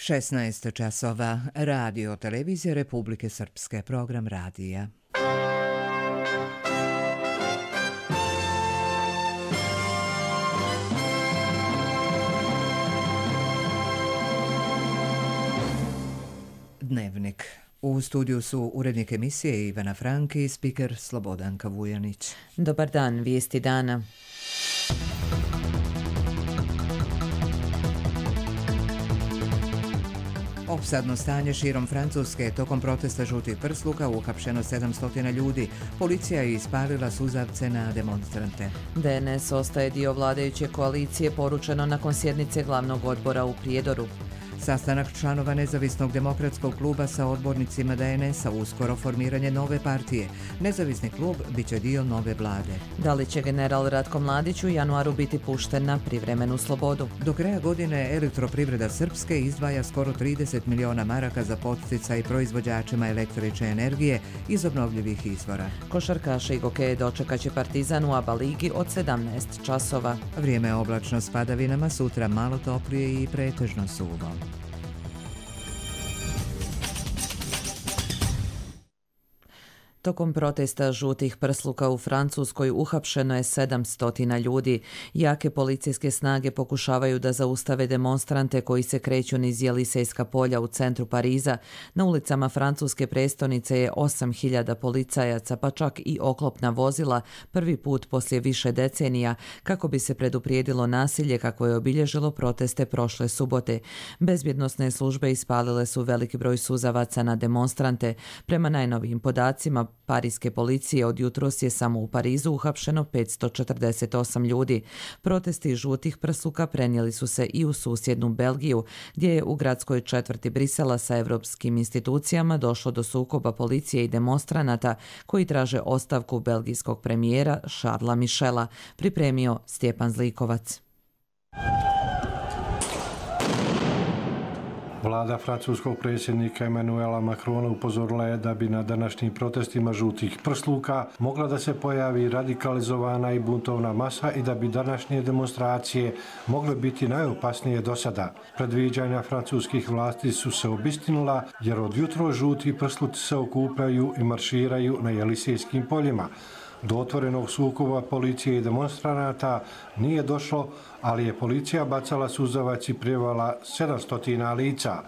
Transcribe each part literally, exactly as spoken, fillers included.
šesnaest časova, radio televizija Republike Srpske, program radija. Dnevnik. U studiju su urednik emisije Ivana Franki i spiker Slobodanka Vujanić. Dobar dan, vijesti dana. Opsadno stanje širom Francuske. Tokom protesta žutih prsluka uhapšeno sedamsto ljudi. Policija je ispalila suzavce na demonstrante. D N S ostaje dio vladajuće koalicije, poručeno nakon sjednice glavnog odbora u Prijedoru. Sastanak članova Nezavisnog demokratskog kluba sa odbornicima D N S-a, uskoro formiranje nove partije. Nezavisni klub bit će dio nove vlade. Da li će general Ratko Mladić u januaru biti pušten na privremenu slobodu? Do kraja godine Elektroprivreda Srpske izdvaja skoro trideset miliona maraka za podsticaj proizvođačima električne energije iz obnovljivih izvora. Košarkaše i gokeje dočekaće Partizan u ABA ligi od sedamnaest časova. Vrijeme je oblačno s padavinama, sutra malo toplije i pretežno suvo. Tokom protesta žutih prsluka u Francuskoj uhapšeno je sedamsto ljudi. Jake policijske snage pokušavaju da zaustave demonstrante koji se kreću niz Jelisejska polja u centru Pariza. Na ulicama francuske prestonice je osam hiljada policajaca, pa čak i oklopna vozila, prvi put poslije više decenija, kako bi se preduprijedilo nasilje kako je obilježilo proteste prošle subote. Bezbjednosne službe ispalile su veliki broj suzavaca na demonstrante. Prema najnovijim podacima Parijske policije od jutros je samo u Parizu uhapšeno petsto četrdeset osam ljudi. Protesti žutih prsluka prenijeli su se i u susjednu Belgiju, gdje je u gradskoj četvrti Brisela sa europskim institucijama došlo do sukoba policije i demonstranata koji traže ostavku belgijskog premijera Charlesa Michela, pripremio Stjepan Zlikovac. Vlada francuskog predsjednika Emmanuela Macrona upozorila je da bi na današnjim protestima žutih prsluka mogla da se pojavi radikalizovana i buntovna masa i da bi današnje demonstracije mogle biti najopasnije do sada. Predviđanja francuskih vlasti su se obistinila jer od jutro žuti prsluci se okupljaju i marširaju na Jelisejskim poljima. Do otvorenog sukoba policije i demonstranata nije došlo, ali je policija bacala suzavac i prijevala sedamsto lica.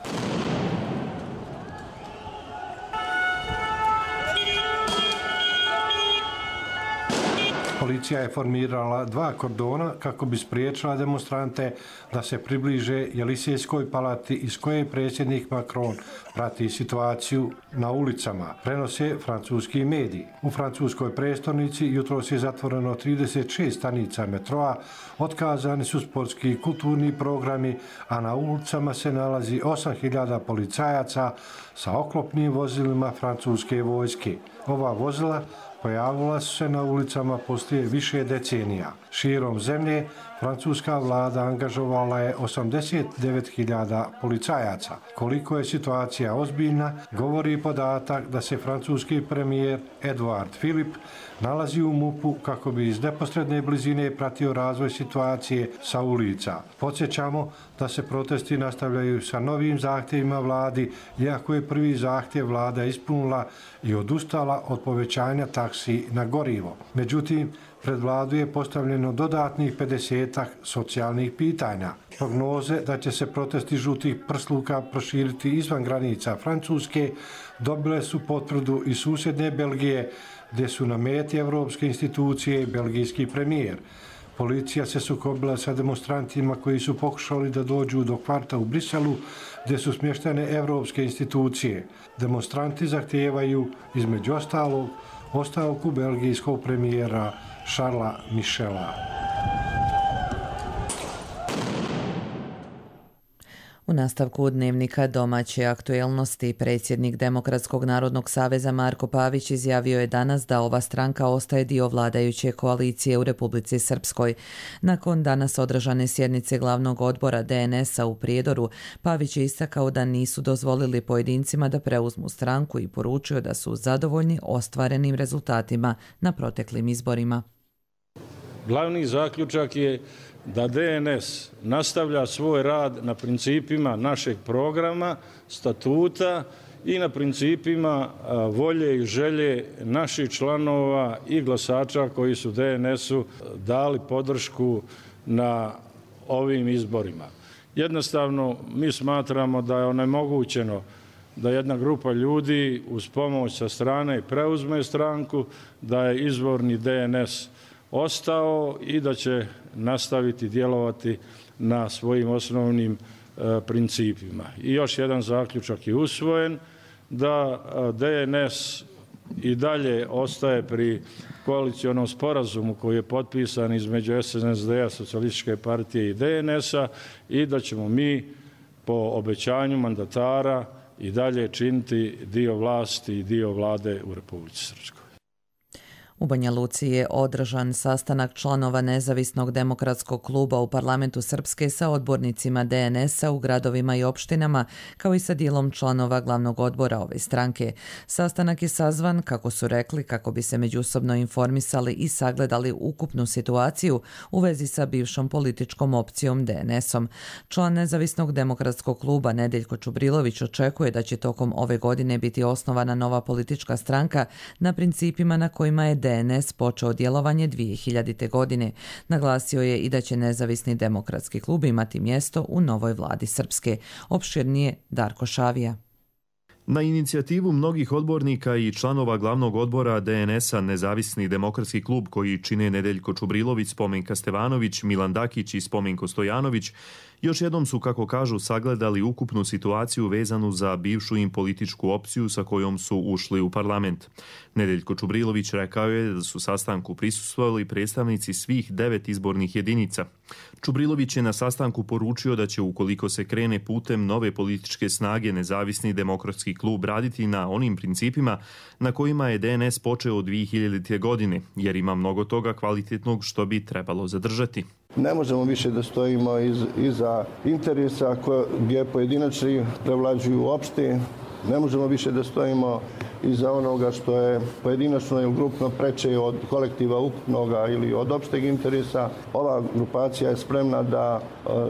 Policija je formirala dva kordona kako bi spriječila demonstrante da se približe Jelisejskoj palati iz koje predsjednik Macron prati situaciju na ulicama, prenose francuski mediji. U francuskoj prestonici jutros je zatvoreno trideset šest stanica metroa, otkazani su sportski i kulturni programi, a na ulicama se nalazi osam hiljada policajaca sa oklopnim vozilima francuske vojske. Ova vozila pojavila su se na ulicama poslije više decenija. Širom zemlje francuska vlada angažovala je osamdeset devet hiljada policajaca. Koliko je situacija ozbiljna, govori podatak da se francuski premijer Edouard Philippe nalazi u MUP-u kako bi iz neposredne blizine pratio razvoj situacije sa ulica. Podsjećamo da se protesti nastavljaju sa novim zahtjevima vladi, iako je prvi zahtjev vlada ispunila i odustala od povećanja taksi na gorivo. Međutim, pred vladu je postavljeno dodatnih pedesetak socijalnih pitanja. Prognoze da će se protesti žutih prsluka proširiti izvan granica Francuske dobile su potvrdu iz susjedne Belgije, gdje su na meti evropske institucije i belgijski premijer. Policija se sukobila sa demonstrantima koji su pokušali da dođu do kvarta u Briselu, gdje su smještene evropske institucije. Demonstranti zahtijevaju, između ostalog, ostavku belgijskog premijera Charlesa Michela. U nastavku dnevnika domaće aktuelnosti predsjednik Demokratskog narodnog saveza Marko Pavić izjavio je danas da ova stranka ostaje dio vladajuće koalicije u Republici Srpskoj. Nakon danas održane sjednice glavnog odbora D N S-a u Prijedoru, Pavić je istakao da nisu dozvolili pojedincima da preuzmu stranku i poručio da su zadovoljni ostvarenim rezultatima na proteklim izborima. Glavni zaključak je da D N S nastavlja svoj rad na principima našeg programa, statuta i na principima volje i želje naših članova i glasača koji su D N S-u dali podršku na ovim izborima. Jednostavno, mi smatramo da je onemogućeno da jedna grupa ljudi uz pomoć sa strane preuzme stranku, da je izvorni D N S ostao i da će nastaviti djelovati na svojim osnovnim e, principima. I još jedan zaključak je usvojen, da D N S i dalje ostaje pri koalicionom sporazumu koji je potpisan između S N S D-a, Socijalističke partije i D N S-a i da ćemo mi po obećanju mandatara i dalje činiti dio vlasti i dio vlade u Republici Srpskoj. U Banja Luci je održan sastanak članova Nezavisnog demokratskog kluba u parlamentu Srpske sa odbornicima D N S-a u gradovima i opštinama, kao i sa dijelom članova glavnog odbora ove stranke. Sastanak je sazvan, kako su rekli, kako bi se međusobno informisali i sagledali ukupnu situaciju u vezi sa bivšom političkom opcijom D N S-om. Član Nezavisnog demokratskog kluba Nedeljko Čubrilović očekuje da će tokom ove godine biti osnovana nova politička stranka na principima na kojima je D N S počeo djelovanje dvije hiljadite. godine. Naglasio je i da će Nezavisni demokratski klub imati mjesto u novoj vladi Srpske. Opširnije Darko Šavija. Na inicijativu mnogih odbornika i članova glavnog odbora D N S-a Nezavisni demokratski klub koji čine Nedeljko Čubrilović, Spomenka Stevanović, Milan Dakić i Spomenko Stojanović, još jednom su, kako kažu, sagledali ukupnu situaciju vezanu za bivšu im političku opciju sa kojom su ušli u parlament. Nedeljko Čubrilović rekao je da su sastanku prisustvovali predstavnici svih devet izbornih jedinica. Čubrilović je na sastanku poručio da će, ukoliko se krene putem nove političke snage, Nezavisni demokratski klub raditi na onim principima na kojima je D N S počeo od dvije hiljadite. godine, jer ima mnogo toga kvalitetnog što bi trebalo zadržati. Ne možemo više da stojimo iz, iza interesa koje, gdje pojedinačni prevlađuju opšti. Ne možemo više da stojimo iza onoga što je pojedinačno ili grupno preče od kolektiva ukupnoga ili od opšteg interesa. Ova grupacija je spremna da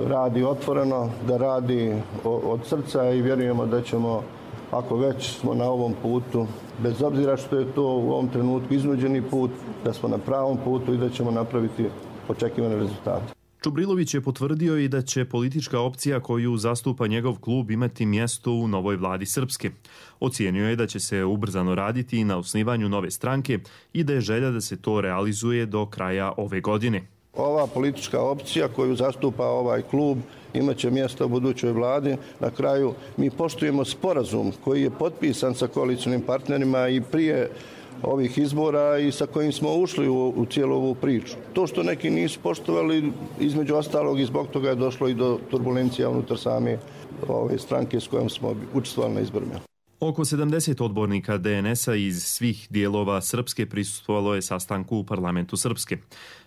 radi otvoreno, da radi od srca i vjerujemo da ćemo, ako već smo na ovom putu, bez obzira što je to u ovom trenutku iznuđeni put, da smo na pravom putu i da ćemo napraviti očekivane rezultate. Čubrilović je potvrdio i da će politička opcija koju zastupa njegov klub imati mjesto u novoj vladi Srpske. Ocijenio je da će se ubrzano raditi na osnivanju nove stranke i da je želja da se to realizuje do kraja ove godine. Ova politička opcija koju zastupa ovaj klub imaće mjesto u budućoj vladi. Na kraju mi poštujemo sporazum koji je potpisan sa koalicijnim partnerima i prije ovih izbora i sa kojim smo ušli u, u cijelu ovu priču. To što neki nisu poštovali, između ostalog i zbog toga je došlo i do turbulencija unutar same ove stranke s kojom smo učestvovali na izborima. Oko sedamdeset odbornika D N S-a iz svih dijelova Srpske prisustvovalo je sastanku u parlamentu Srpske.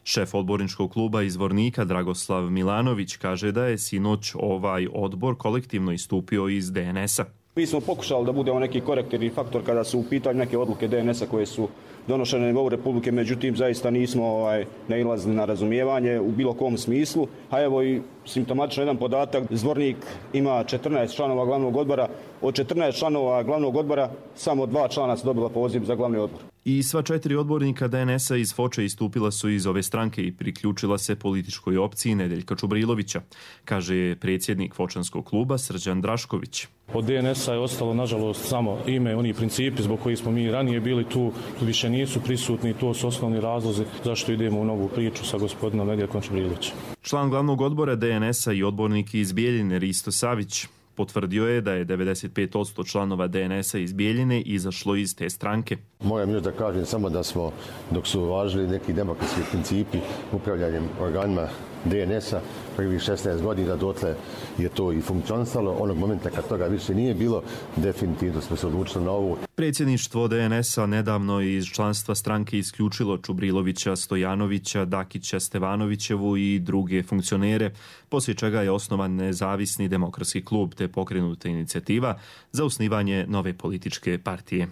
Šef odborničkog kluba iz Vornika Dragoslav Milanović kaže da je sinoć ovaj odbor kolektivno istupio iz D N S-a. Mi smo pokušali da budemo neki korektivni faktor kada su u pitanju neke odluke D N S-a koje su donošene na nivou Republike, međutim zaista nismo ovaj, nailazili na razumijevanje u bilo kom smislu. A evo i simptomatično jedan podatak, Zvornik ima četrnaest članova glavnog odbora, od četrnaest članova glavnog odbora samo dva člana su dobila poziv za glavni odbor. I sva četiri odbornika D N S-a iz Foče istupila su iz ove stranke i priključila se političkoj opciji Nedeljka Čubrilovića, kaže predsjednik Fočanskog kluba Srđan Drašković. Od D N S-a je ostalo, nažalost, samo ime, oni principi zbog kojih smo mi ranije bili tu, tu više nisu prisutni, to su osnovni razlozi zašto idemo u novu priču sa gospodinom Nedeljkom Čubrilovićem. Član glavnog odbora D N S-a i odbornik iz Bijeljine Risto Savić potvrdio je da je devedeset pet posto članova D N S-a iz Bijeljine izašlo iz te stranke. Moja mi je da kažem samo da smo, dok su važili neki demokratski principi upravljanjem organima D N S-a prvih šesnaest godina, dotle je to i funkcionisalo. Onog momenta kad toga više nije bilo, definitivno smo se odlučili na ovu. Predsjedništvo D N S-a nedavno iz članstva stranke isključilo Čubrilovića, Stojanovića, Dakića, Stevanovićevu i druge funkcionere, poslije čega je osnovan Nezavisni demokratski klub te pokrenuta inicijativa za osnivanje nove političke partije.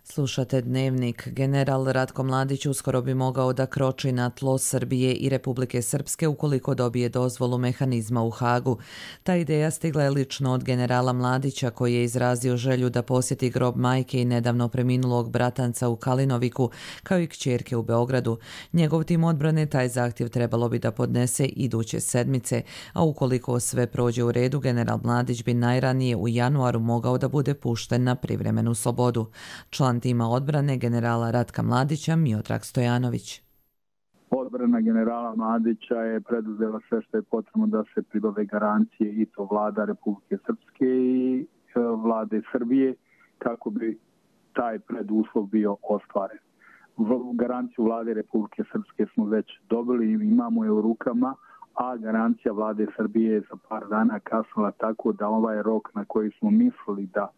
Slušate Dnevnik. General Ratko Mladić uskoro bi mogao da kroči na tlo Srbije i Republike Srpske ukoliko dobije dozvolu mehanizma u Hagu. Ta ideja stigla je lično od generala Mladića koji je izrazio želju da posjeti grob majke i nedavno preminulog bratanca u Kalinoviku kao i kćerke u Beogradu. Njegov tim odbrane taj zahtjev trebalo bi da podnese iduće sedmice, a ukoliko sve prođe u redu, general Mladić bi najranije u januaru mogao da bude pušten na privremenu slobodu. Član tima odbrane generala Ratka Mladića Miodrag Stojanović. Odbrana generala Mladića je preduzela sve što je potrebno da se pribave garancije i to vlada Republike Srpske i vlade Srbije kako bi taj preduslov bio ostvaren. Garanciju vlade Republike Srpske smo već dobili i imamo je u rukama, a garancija vlade Srbije je za par dana kasnila tako da ovaj rok na koji smo mislili da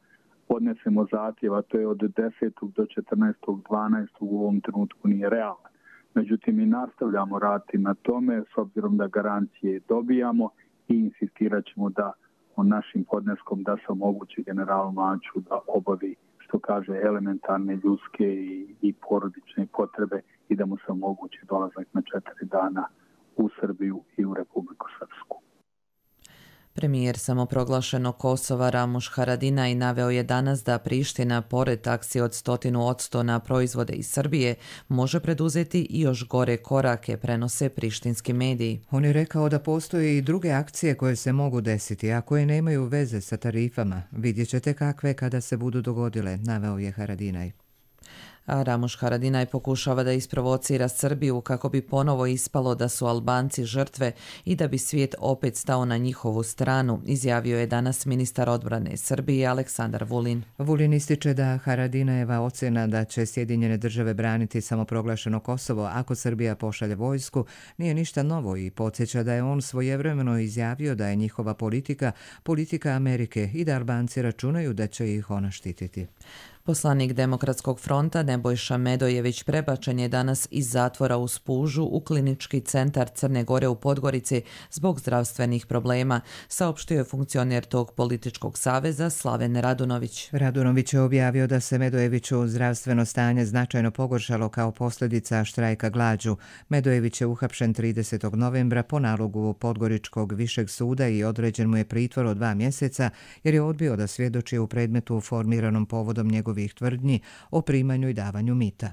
podnesemo zahtjev, a to je od desetog do četrnaestog dvanaestog u ovom trenutku nije realan. Međutim, mi nastavljamo raditi na tome s obzirom da garancije dobijamo i insistirat ćemo da o našim podneskom da se omogući generalu Mladiću da obavi, što kaže, elementarne ljudske i, i porodične potrebe i da mu se omogući dolazak na četiri dana u Srbiju i u Republiku Srpsku. Premijer samoproglašenog Kosova Ramuš Haradinaj naveo je danas da Priština, pored taksi od stotinu odsto na proizvode iz Srbije, može preduzeti i još gore korake, prenose prištinski mediji. On je rekao da postoje i druge akcije koje se mogu desiti, a koje nemaju veze sa tarifama. Vidjet ćete kakve kada se budu dogodile, naveo je Haradinaj. A Ramuš Haradinaj pokušava da isprovocira Srbiju kako bi ponovo ispalo da su Albanci žrtve i da bi svijet opet stao na njihovu stranu, izjavio je danas ministar odbrane Srbije Aleksandar Vulin. Vulin ističe da Haradinajeva ocjena da će Sjedinjene države braniti samoproglašeno Kosovo ako Srbija pošalje vojsku nije ništa novo i podsjeća da je on svojevremeno izjavio da je njihova politika politika Amerike i da Albanci računaju da će ih ona štititi. Poslanik Demokratskog fronta Nebojša Medojević prebačen je danas iz zatvora u Spužu u klinički centar Crne Gore u Podgorici zbog zdravstvenih problema, saopštio je funkcioner tog političkog saveza Slaven Radunović. Radunović je objavio da se Medojeviću zdravstveno stanje značajno pogoršalo kao posljedica štrajka glađu. Medojević je uhapšen tridesetog novembra po nalogu Podgoričkog višeg suda i određen mu je pritvor od dva mjeseca jer je odbio da svjedoči u predmetu formiranom povodom njegov ovih tvrdnji o primanju i davanju mita.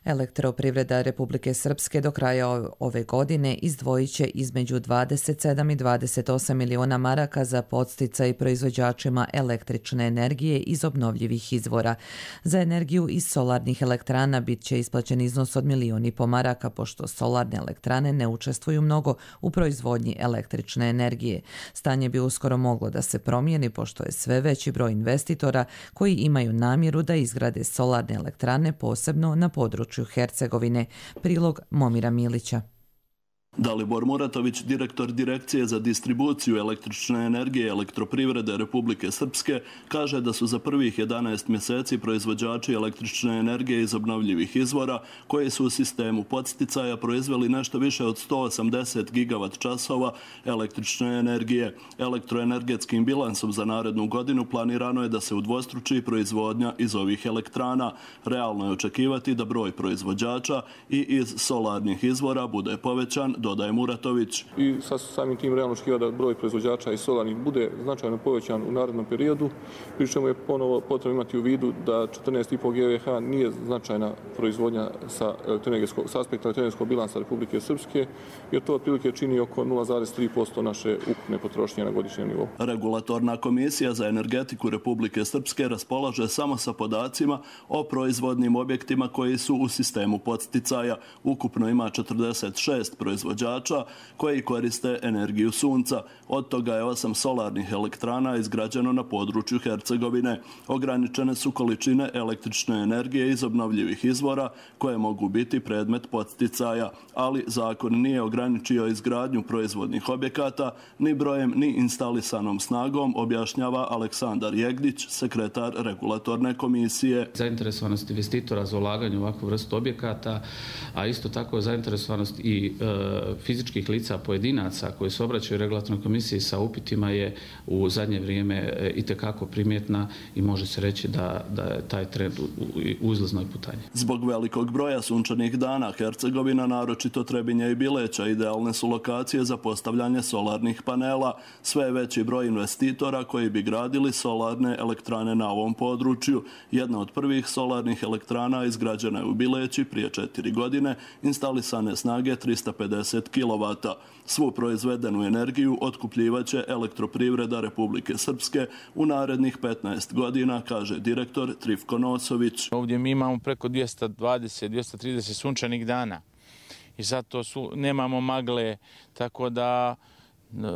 Elektroprivreda Republike Srpske do kraja ove godine izdvojit će između dvadeset sedam i dvadeset osam miliona maraka za podsticaj proizvođačima električne energije iz obnovljivih izvora. Za energiju iz solarnih elektrana bit će isplaćen iznos od milion i po maraka, pošto solarne elektrane ne učestvuju mnogo u proizvodnji električne energije. Stanje bi uskoro moglo da se promijeni, pošto je sve veći broj investitora koji imaju namjeru da izgrade solarne elektrane, posebno na području Hercegovine. Prilog Momira Milića. Dalibor Muratović, direktor Direkcije za distribuciju električne energije Elektroprivrede Republike Srpske, kaže da su za prvih jedanaest mjeseci proizvođači električne energije iz obnovljivih izvora, koji su u sistemu podsticaja proizveli nešto više od sto osamdeset gigavat časova električne energije. Elektroenergetskim bilansom za narednu godinu planirano je da se udvostruči proizvodnja iz ovih elektrana. Realno je očekivati da broj proizvođača i iz solarnih izvora bude povećan, dodaje Muratović. I sa samim tim realno očekiva da broj proizvođača i solarnih bude značajno povećan u narednom periodu, pri čemu je ponovo potrebno imati u vidu da četrnaest i po GWh nije značajna proizvodnja sa, sa aspekta elektroenergetskog bilansa Republike Srpske, jer to otprilike čini oko nula zarez tri posto naše ukupne potrošnje na godišnjem nivou. Regulatorna komisija za energetiku Republike Srpske raspolaže samo sa podacima o proizvodnim objektima koji su u sistemu podsticaja. Ukupno ima četrdeset šest proizvođača koji koriste energiju sunca. Od toga je osam solarnih elektrana izgrađeno na području Hercegovine. Ograničene su količine električne energije iz obnovljivih izvora koje mogu biti predmet podsticaja, ali zakon nije ograničio izgradnju proizvodnih objekata ni brojem ni instalisanom snagom, objašnjava Aleksandar Jegdić, sekretar regulatorne komisije. Zainteresovanost investitora za ulaganje u ovakvu vrstu objekata, a isto tako zainteresovanost i e, fizičkih lica pojedinaca koji se obraćaju regulatornoj komisiji sa upitima je u zadnje vrijeme itekako primjetna i može se reći da, da je taj trend u, u uzlaznoj putanji. Zbog velikog broja sunčanih dana Hercegovina, naročito Trebinje i Bileća, idealne su lokacije za postavljanje solarnih panela. Sve je veći broj investitora koji bi gradili solarne elektrane na ovom području. Jedna od prvih solarnih elektrana izgrađena je u Bileći prije četiri godine, instalisane snage trista pedeset kilovata. Svu proizvedenu energiju otkupljivaće Elektroprivreda Republike Srpske u narednih petnaest godina, kaže direktor Trifko Nosović. Ovdje mi imamo preko dvjesto dvadeset do dvjesto trideset sunčanih dana i zato su, nemamo magle, tako da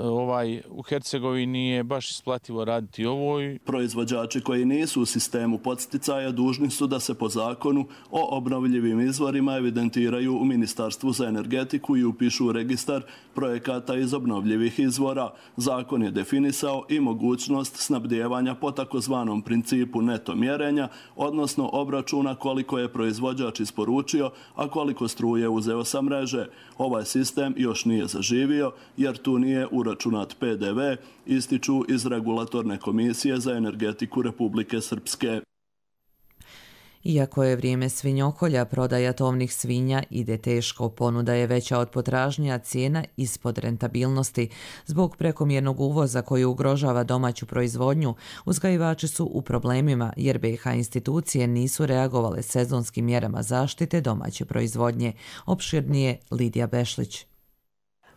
ovaj, u Hercegovini je baš isplativo raditi ovo. Proizvođači koji nisu u sistemu podsticaja dužni su da se po zakonu o obnovljivim izvorima evidentiraju u Ministarstvu za energetiku i upišu u registar projekata iz obnovljivih izvora. Zakon je definisao i mogućnost snabdijevanja po takozvanom principu neto mjerenja, odnosno obračuna koliko je proizvođač isporučio, a koliko struje uzeo sa mreže. Ovaj sistem još nije zaživio jer tu nije uračunat P D V, ističu iz Regulatorne komisije za energetiku Republike Srpske. Iako je vrijeme svinjokolja, prodaja tovnih svinja ide teško. Ponuda je veća od potražnje, a cijena ispod rentabilnosti. Zbog prekomjernog uvoza koji ugrožava domaću proizvodnju, uzgajivači su u problemima jer B iH institucije nisu reagovale sezonskim mjerama zaštite domaće proizvodnje. Opširnije Lidija Bešlić.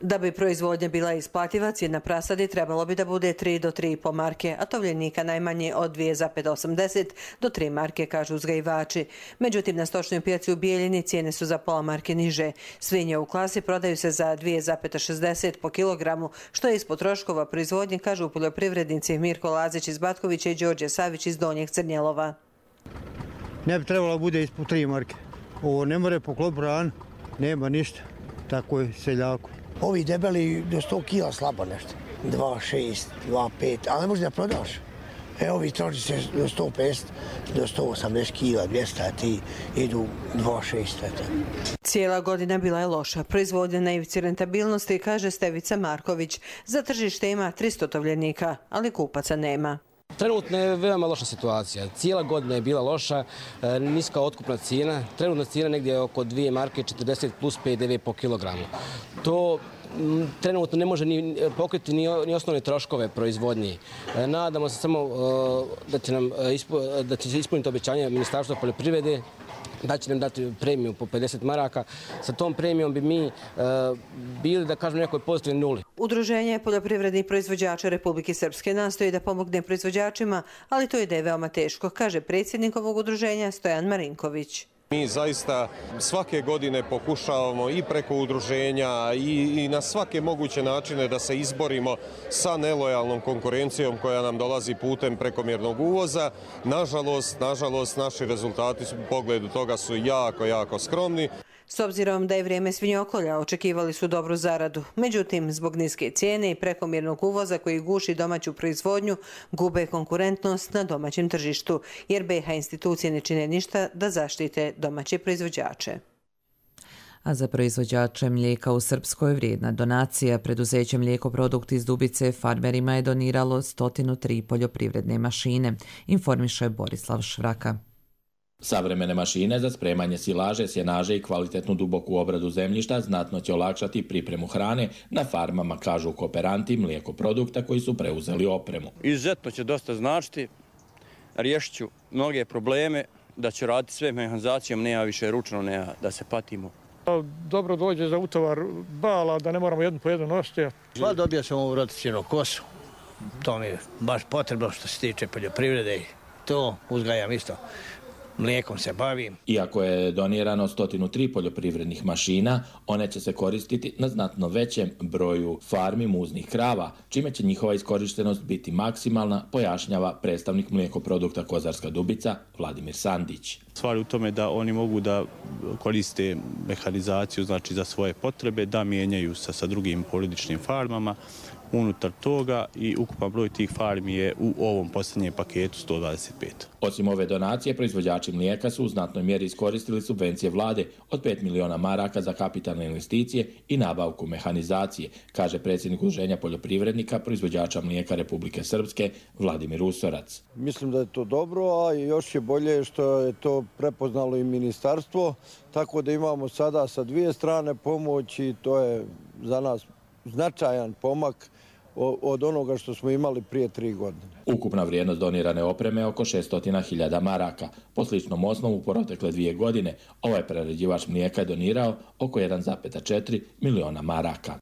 Da bi proizvodnja bila isplativa, cijena prasadi trebalo bi da bude tri do tri i po marke, a tovljenika najmanje od dvije zarez osamdeset do tri marke, kažu uzgajivači. Međutim, na stočnoj pijaci u Bijeljini cijene su za pola marke niže. Svinje u klasi prodaju se za dvije zarez šezdeset po kilogramu, što je ispod troškova proizvodnje, kažu poljoprivrednici Mirko Lazić iz Batkovića i Đorđe Savić iz Donjeg Crnjelova. Ne bi trebalo da bude ispod tri marke. Ovo ne more poklop ran, nema ništa. Tako je seljaku. Ovi debeli do sto kila slabo nešto, dva šest, dva pet, ali ne možeš da prodaš. E, ovi troši se do sto pedeset, do sto osamdeset kila, dvjesto, a ti idu dva šest. Cijela godina bila je loša. Proizvodnja na ivici rentabilnosti, kaže Stevica Marković. Za tržište ima tristo tovljenika, ali kupaca nema. Trenutno je veoma loša situacija. Cijela godina je bila loša, niska otkupna cijena. Trenutna cijena negdje oko dvije marke četrdeset plus P D V po kilogramu. To trenutno ne može ni pokriti ni, ni osnovne troškove proizvodnje. Nadamo se samo da će, nam, da će se ispuniti obećanje Ministarstva poljoprivrede, da će nam dati premiju po pedeset maraka. Sa tom premijom bi mi uh, bili, da kažem, nekoj pozitivnoj nuli. Udruženje poljoprivrednih proizvođača Republike Srpske nastoji da pomogne proizvođačima, ali to ide veoma teško, kaže predsjednik ovog udruženja Stojan Marinković. Mi zaista svake godine pokušavamo i preko udruženja i, i na svake moguće načine da se izborimo sa nelojalnom konkurencijom koja nam dolazi putem prekomjernog uvoza. Nažalost, nažalost, naši rezultati u pogledu toga su jako, jako skromni. S obzirom da je vrijeme svinjokolja, očekivali su dobru zaradu. Međutim, zbog niske cijene i prekomjernog uvoza koji guši domaću proizvodnju, gube konkurentnost na domaćem tržištu, jer B iH institucije ne čine ništa da zaštite domaće proizvođače. A za proizvođače mlijeka u Srpskoj vrijedna donacija. Preduzeće Mlijekoprodukt iz Dubice farmerima je doniralo sto tri poljoprivredne mašine, informiše Borislav Švraka. Savremene mašine za spremanje silaže, sjenaže i kvalitetnu duboku obradu zemljišta znatno će olakšati pripremu hrane na farmama, kažu kooperanti Mlijekoprodukta koji su preuzeli opremu. Izuzetno će dosta značiti, riješit ću mnoge probleme, da ću raditi sve mehanizacijom, nema više ručno, nema da se patimo. Dobro dođe za utovar bala, da ne moramo jednu po jednu nositi. Sva dobio sam ovu rotacijnu kosu, to mi je baš potrebno što se tiče poljoprivrede i to uzgajam isto. Mlijekom se bavim. Iako je donirano sto tri poljoprivrednih mašina, one će se koristiti na znatno većem broju farmi muznih krava, čime će njihova iskorištenost biti maksimalna, pojašnjava predstavnik Mlijekoprodukta Kozarska Dubica Vladimir Sandić. Stvar u tome da oni mogu da koriste mehanizaciju, znači za svoje potrebe, da mijenjaju sa, sa drugim porodičnim farmama, unutar toga i ukupan broj tih farmi je u ovom posljednjem paketu sto dvadeset pet. Osim ove donacije, proizvođači mlijeka su u znatnoj mjeri iskoristili subvencije vlade od pet miliona maraka za kapitalne investicije i nabavku mehanizacije, kaže predsjednik Udruženja poljoprivrednika proizvođača mlijeka Republike Srpske Vladimir Usorac. Mislim da je to dobro, a još je bolje što je to prepoznalo i ministarstvo, tako da imamo sada sa dvije strane pomoć i to je za nas značajan pomak od onoga što smo imali prije tri godine. Ukupna vrijednost donirane opreme je oko šesto hiljada maraka. Po sličnom osnovu protekle dvije godine ovaj prerađivač mlijeka je donirao oko jedan zarez četiri miliona maraka.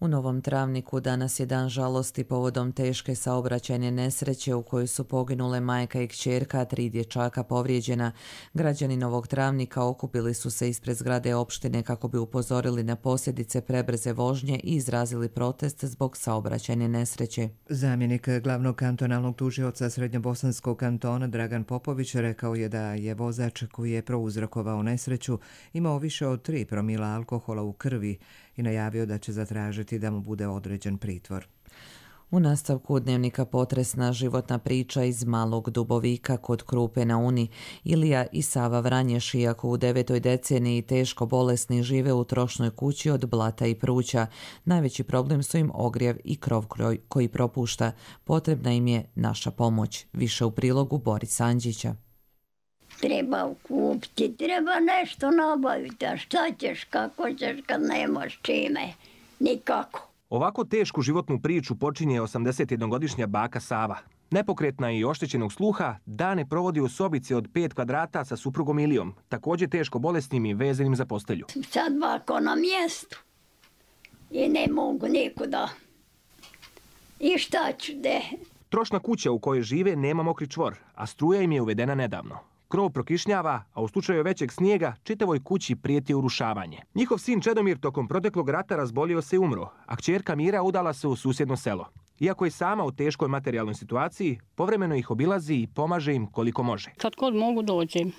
U Novom Travniku danas je dan žalosti povodom teške saobraćajne nesreće u kojoj su poginule majka i kćerka, a tri dječaka povrijeđena. Građani Novog Travnika okupili su se ispred zgrade opštine kako bi upozorili na posljedice prebrze vožnje i izrazili protest zbog saobraćajne nesreće. Zamjenik glavnog kantonalnog tužioca Srednjobosanskog kantona Dragan Popović rekao je da je vozač koji je prouzrokovao nesreću imao više od tri promila alkohola u krvi i najavio da će zatražiti da mu bude određen pritvor. U nastavku dnevnika potresna životna priča iz Malog Dubovika kod Krupe na Uni. Ilija i Sava Vranješ, iako u devetoj deceniji teško bolesni, žive u trošnoj kući od blata i pruća. Najveći problem su im ogrjev i krov koji propušta. Potrebna im je naša pomoć. Više u prilogu Boris Andžića. Treba kupiti, treba nešto nabaviti, a šta ćeš, kako ćeš kad nemaš čime, nikako. Ovako tešku životnu priču počinje osamdesetjednogodišnja baka Sava. Nepokretna i oštećenog sluha, dane provodi u sobici od pet kvadrata sa suprugom Ilijom, također teško bolesnim i vezanim za postelju. Sad bako na mjestu i ne mogu nikuda. I šta ću de? Trošna kuća u kojoj žive nema mokri čvor, a struja im je uvedena nedavno. Krov prokišnjava, a u slučaju većeg snijega čitavoj kući prijeti urušavanje. Njihov sin Čedomir tokom proteklog rata razbolio se i umro, a kćerka Mira udala se u susjedno selo. Iako je sama u teškoj materijalnoj situaciji, povremeno ih obilazi i pomaže im koliko može. Kad god mogu dođem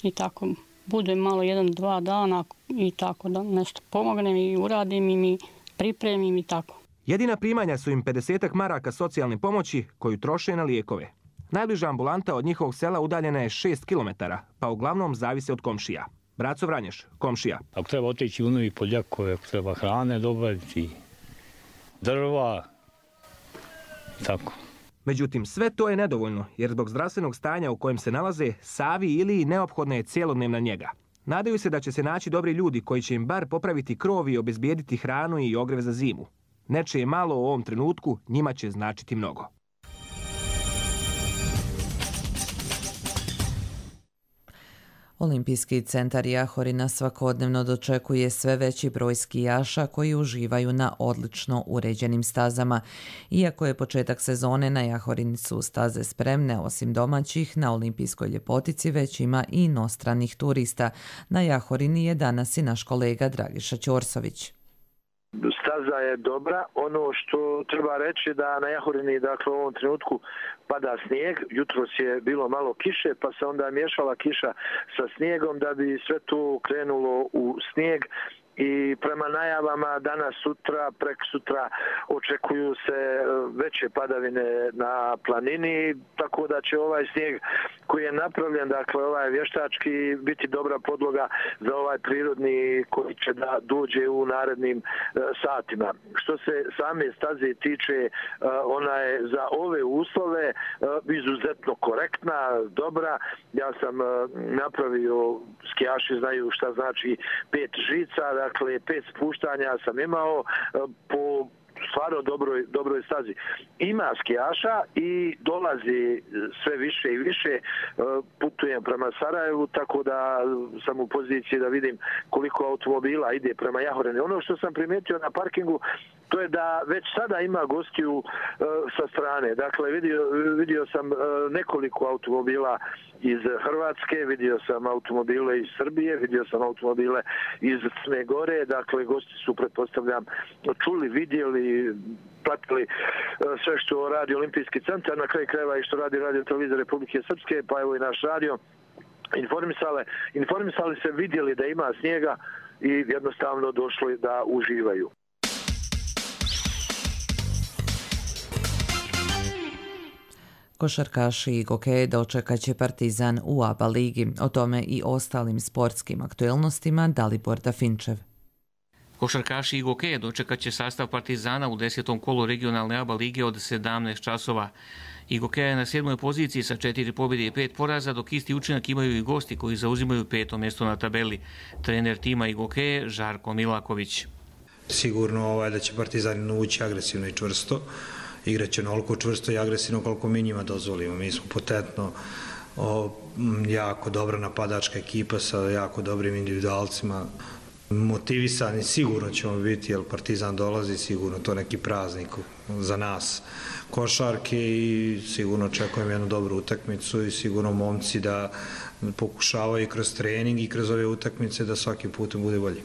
i tako budem malo jedan, dva dana i tako da nešto pomognem i uradim im i pripremim i tako. Jedina primanja su im pedesetak maraka socijalne pomoći koju troše na lijekove. Najbliža ambulanta od njihovog sela udaljena je šest kilometara, pa uglavnom zavise od komšija. Braco Vranješ, komšija. Ako treba otići u novi poljakove, ako treba hrane dobaviti, drva, tako. Međutim, sve to je nedovoljno, jer zbog zdravstvenog stanja u kojem se nalaze, Savi ili neophodna je cijelodnevna njega. Nadaju se da će se naći dobri ljudi koji će im bar popraviti krov i obezbijediti hranu i ogreve za zimu. Nečije malo u ovom trenutku njima će značiti mnogo. Olimpijski centar Jahorina svakodnevno dočekuje sve veći broj skijaša koji uživaju na odlično uređenim stazama. Iako je početak sezone, na Jahorini su staze spremne, osim domaćih, na olimpijskoj ljepotici već ima i inostranih turista. Na Jahorini je danas i naš kolega Dragiša Ćorsović. Staza je dobra. Ono što treba reći da na Jahorini, dakle, u ovom trenutku pada snijeg. Jutros je bilo malo kiše, pa se onda miješala kiša sa snijegom da bi sve to krenulo u snijeg. I prema najavama danas, sutra, prek sutra očekuju se veće padavine na planini, tako da će ovaj snijeg koji je napravljen, dakle ovaj vještački, biti dobra podloga za ovaj prirodni koji će da dođe u narednim e, satima. Što se same staze tiče, e, ona je za ove uslove e, izuzetno korektna, dobra. Ja sam e, napravio, skijaši znaju šta znači pet žica, dakle pet spuštanja sam imao po stvarno dobroj, dobroj stazi. Ima skijaša i dolazi sve više i više. Putujem prema Sarajevu, tako da sam u poziciji da vidim koliko automobila ide prema Jahorini. Ono što sam primijetio na parkingu, to je da već sada ima gostiju uh, sa strane. Dakle, vidio, vidio sam uh, nekoliko automobila iz Hrvatske, vidio sam automobile iz Srbije, vidio sam automobile iz Crne Gore. Dakle, gosti su, pretpostavljam, čuli, vidjeli, platili uh, sve što radi Olimpijski centar, na kraju krajeva i što radi Radio Televizija Republike Srpske, pa evo i naš radio. Informisali, informisali se, vidjeli da ima snijega i jednostavno došli da uživaju. Košarkaši i gokeje dočekat će Partizan u A B A ligi. O tome i ostalim sportskim aktuelnostima Dalibor Dafinčev. Košarkaši i gokeje dočekat će sastav Partizana u desetom kolu regionalne A B A lige od sedamnaest časova. Igokeja je na sedmoj poziciji sa četiri pobjede i pet poraza, dok isti učinak imaju i gosti koji zauzimaju peto mjesto na tabeli. Trener tima Igokeje Žarko Milaković. Sigurno ovaj, da će Partizan ući agresivno i čvrsto. Igraće onoliko čvrsto i agresivno koliko mi njima dozvolimo. Mi smo potentno o, jako dobra napadačka ekipa sa jako dobrim individualcima. Motivisani sigurno ćemo biti, jer Partizan dolazi, sigurno to neki praznik za nas košarke i sigurno očekujem jednu dobru utakmicu i sigurno momci da pokušavaju kroz trening i kroz ove utakmice da svaki put bude bolji.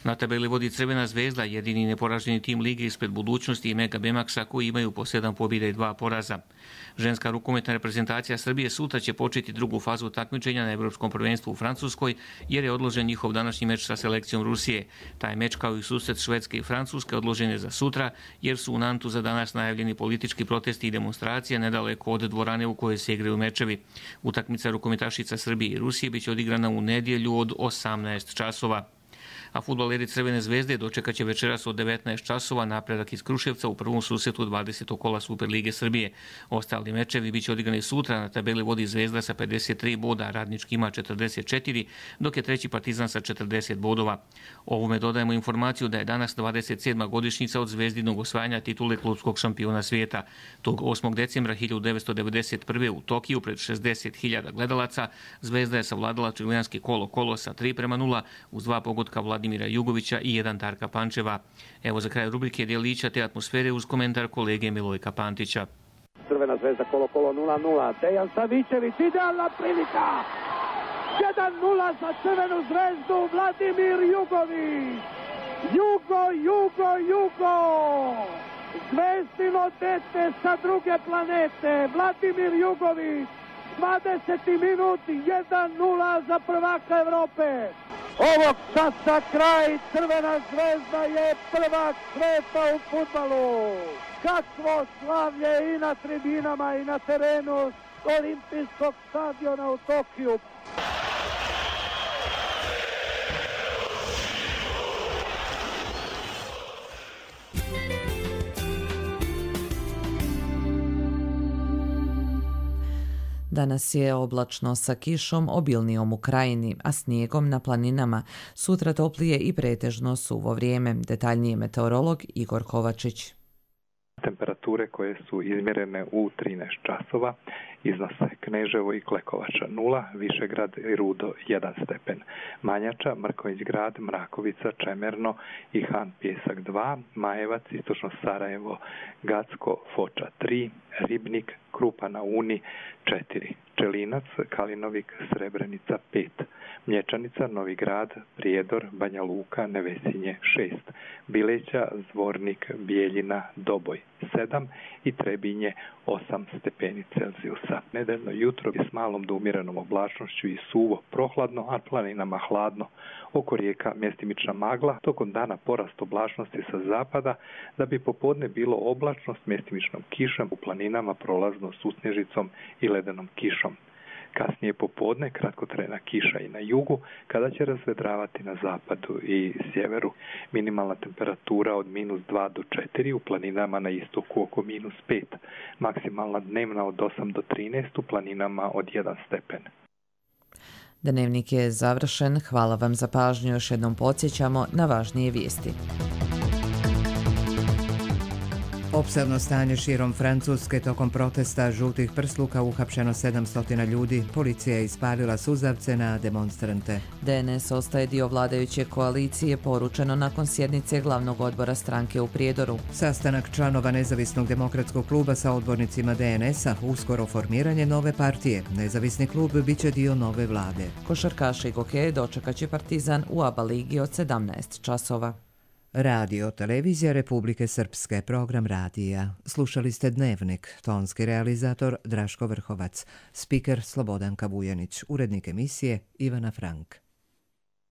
Na tabeli vodi Crvena zvezda, jedini neporaženi tim lige ispred Budućnosti i Mega Bemaksa koji imaju po sedam pobjeda i dva poraza. Ženska rukometna reprezentacija Srbije sutra će početi drugu fazu takmičenja na Evropskom prvenstvu u Francuskoj jer je odložen njihov današnji meč sa selekcijom Rusije. Taj meč kao i susret Švedske i Francuske odložen je za sutra jer su u Nantu za danas najavljeni politički protesti i demonstracije nedaleko od dvorane u kojoj se igraju mečevi. Utakmica rukometašica Srbije i Rusije biće odigrana u nedjelju od osamnaest časova. A fudbaleri Crvene zvezde dočekat će večeras od devetnaest časova napredak iz Kruševca u prvom susretu dvadesetog kola Superlige Srbije. Ostali mečevi biće odigrani sutra, na tabeli vodi Zvezda sa pedeset tri boda, Radnički ima četrdeset četiri, dok je treći Partizan sa četrdeset bodova. Ovome dodajemo informaciju da je danas dvadeset sedma godišnjica od Zvezdinog osvajanja titule klubskog šampiona svijeta. Tog osmog decembra hiljadu devetsto devedeset prve. u Tokiju pred šezdeset hiljada gledalaca Zvezda je savladala čileanski Kolo Kolo sa tri prema nula uz dva pogotka Vladimira Jugovića i jedan Darka Pančeva. Evo za kraj rubrike djelića te atmosfere uz komentar kolege Milojka Pantića. Crvena zvezda Kolo Kolo nula nula. Dejan Savićević, idealna prilika. jedan nula za Crvenu zvezdu, Vladimir Jugović. Jugo, Jugo, Jugo. Zvezdino dete sa druge planete. Vladimir Jugović. dvadeseti minut, jedan nula za prvaka Evrope. Ovog časa kraj, Crvena zvezda je prvak sveta u fudbalu. Kakvo slavlje i na tribinama i na terenu olimpijskog stadiona u Tokiju. Danas je oblačno sa kišom obilnijom u krajini, a snijegom na planinama. Sutra toplije i pretežno suvo vrijeme. Detaljnije meteorolog Igor Kovačić. Temperature koje su izmjerene u trinaest časova iznose Kneževo i Klekovača nula, Višegrad i Rudo jedan stepen, Manjača, Mrkonjić grad, Mrakovica, Čemerno i Han Pjesak dva, Majevac, Istočno Sarajevo, Gacko, Foča tri, Ribnik, Krupa na Uni četiri, Čelinac, Kalinovik, Srebrenica pet, Mlječanica, Novi Grad, Prijedor, Banja Luka, Nevesinje šest, Bileća, Zvornik, Bijeljina, Doboj sedam i Trebinje osam stepeni Celzijusa. Nedeljno jutro je s malom do umjerenom oblačnošću i suvo, prohladno, a planinama hladno. Oko rijeka mjestimična magla, tokom dana porast oblačnosti sa zapada, da bi popodne bilo oblačno s mjestimičnom kišom, u planinama prolazno susnježicom i ledenom kišom. Kasnije popodne kratkotrajna kiša i na jugu, kada će razvedravati na zapadu i sjeveru. Minimalna temperatura od minus dva do četiri, u planinama na istoku oko minus pet. Maksimalna dnevna od osam do trinaest, u planinama od jedan stepen. Dnevnik je završen. Hvala vam za pažnju. Još jednom podsjećamo na važnije vijesti. Opsadno stanje širom Francuske tokom protesta žutih prsluka, uhapšeno sedamsto ljudi. Policija je ispalila suzavce na demonstrante. D N S ostaje dio vladajuće koalicije, poručeno nakon sjednice glavnog odbora stranke u Prijedoru. Sastanak članova Nezavisnog demokratskog kluba sa odbornicima D N S-a, uskoro formiranje nove partije. Nezavisni klub biće dio nove vlade. Košarkaši i gokeje dočekat će Partizan u A B A ligi od sedamnaest časova. Radio Televizija Republike Srpske, program radija. Slušali ste Dnevnik, tonski realizator Draško Vrhovac, spiker Slobodan Kabujanić, urednik emisije Ivana Frank.